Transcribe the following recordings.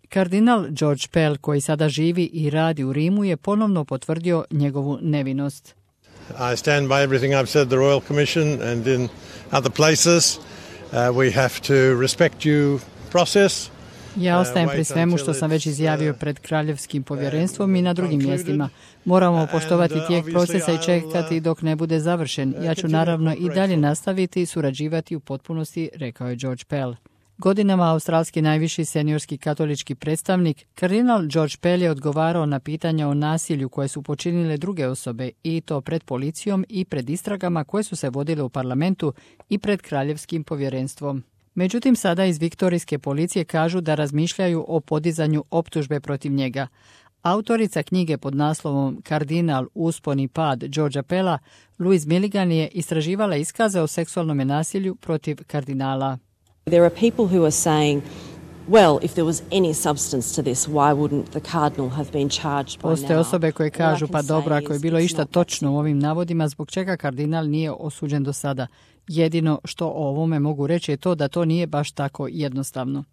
Kardinal George Pell, koji sada živi i radi u Rimu, je ponovno potvrdio njegovu nevinost. I stand by everything I've said at the Royal Commission and in other places. We have to respect due process. Ja ostajem pri svemu što sam već izjavio pred Kraljevskim povjerenstvom i na drugim mjestima. Moramo poštovati tijek procesa i čekati dok ne bude završen. Ja ću naravno i dalje nastaviti surađivati u potpunosti, rekao je George Pell. Godinama australski najviši seniorski katolički predstavnik, kardinal George Pell je odgovarao na pitanja o nasilju koje su počinile druge osobe i to pred policijom i pred istragama koje su se vodile u parlamentu i pred Kraljevskim povjerenstvom. Međutim, sada iz viktorijske policije kažu da razmišljaju o podizanju optužbe protiv njega. Autorica knjige pod naslovom Kardinal, uspon i pad Georgea Pella, Louise Milligan, je istraživala iskaze o seksualnom nasilju protiv kardinala. There are people who are saying, well, if there was any substance to this, why wouldn't the cardinal have been charged by now? Postoje osobe koje kažu, pa dobro, ako je bilo išta točno u ovim navodima, zbog čega kardinal nije osuđen do sada. Jedino što o ovome mogu reći je to da to nije baš tako jednostavno.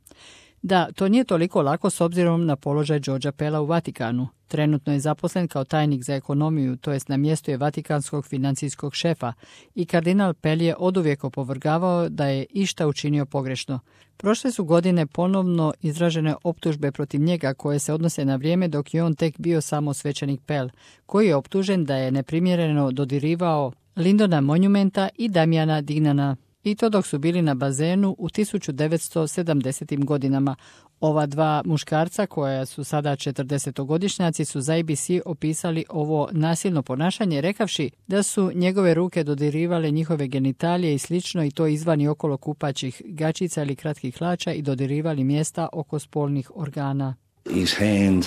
Da, to nije toliko lako s obzirom na položaj Georgea Pella u Vatikanu. Trenutno je zaposlen kao tajnik za ekonomiju, to jest na mjestu je vatikanskog financijskog šefa, i kardinal Pell je oduvijek opovrgavao da je išta učinio pogrešno. Prošle su godine ponovno izražene optužbe protiv njega koje se odnose na vrijeme dok je on tek bio samo svećenik Pell, koji je optužen da je neprimjereno dodirivao Lindona Monumenta i Damiana Dignana. I to dok su bili na bazenu u 1970. godinama. Ova dva muškarca, koja su sada 40-godišnjaci, su za ABC opisali ovo nasilno ponašanje, rekavši da su njegove ruke dodirivale njihove genitalije i slično, i to izvan i okolo kupaćih gačica ili kratkih hlača, i dodirivali mjesta oko spolnih organa. His hand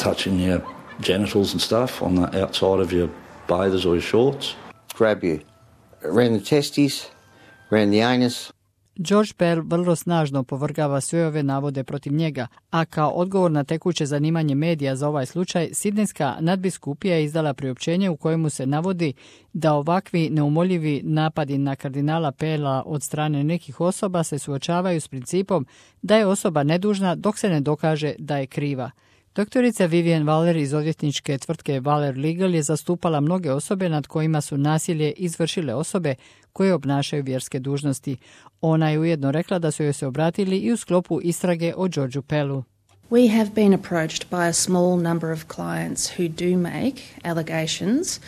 touching your genitals and stuff on the outside of your bathers or your shorts. Grab you around the testes, around the anus. George Pell vrlo snažno opovrgava sve ove navode protiv njega, a kao odgovor na tekuće zanimanje medija za ovaj slučaj, Sidnejska nadbiskupija je izdala priopćenje u kojemu se navodi da ovakvi neumoljivi napadi na kardinala Pella od strane nekih osoba se suočavaju s principom da je osoba nedužna dok se ne dokaže da je kriva. Doktorica Vivian Waller iz odvjetničke tvrtke Waller Legal je zastupala mnoge osobe nad kojima su nasilje izvršile osobe koje obnašaju vjerske dužnosti. Ona je ujedno rekla da su joj se obratili i u sklopu istrage o Georgeu Pellu. We have been approached by a small number of clients who do make allegations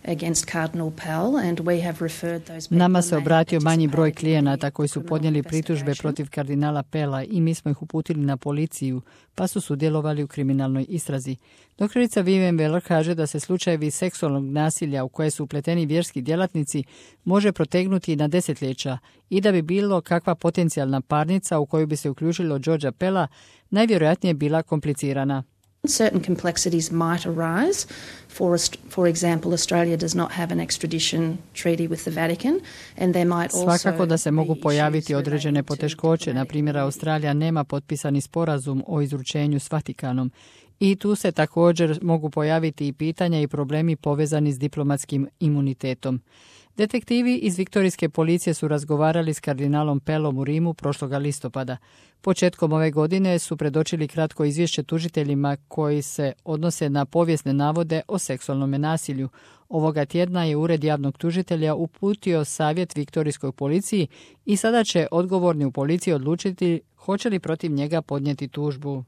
against Cardinal Pell, and we have referred those people. Nama se obratio manji broj klijenata koji su podnijeli pritužbe protiv kardinala Pella i mi smo ih uputili na policiju, pa su sudjelovali u kriminalnoj istrazi. Doktorica Vivian Waller kaže da se slučajevi seksualnog nasilja u koje su upleteni vjerski djelatnici može protegnuti na desetljeća i da bi bilo kakva potencijalna parnica u koju bi se uključilo Georgea Pella najvjerojatnije bila komplicirana. Certain complexities might arise. For example, Australia does not have an extradition treaty with the Vatican, and there might also Svakako da se mogu pojaviti određene poteškoće. Na primjer, Australija nema potpisani sporazum o izručenju s Vatikanom. I tu se također mogu pojaviti i pitanja i problemi povezani s diplomatskim imunitetom. Detektivi iz viktorijske policije su razgovarali s kardinalom Pellom u Rimu prošloga listopada. Početkom ove godine su predočili kratko izvješće tužiteljima koji se odnose na povijesne navode o seksualnom nasilju. Ovoga tjedna je Ured javnog tužitelja uputio savjet viktorijskoj policiji i sada će odgovorni u policiji odlučiti hoće li protiv njega podnijeti tužbu.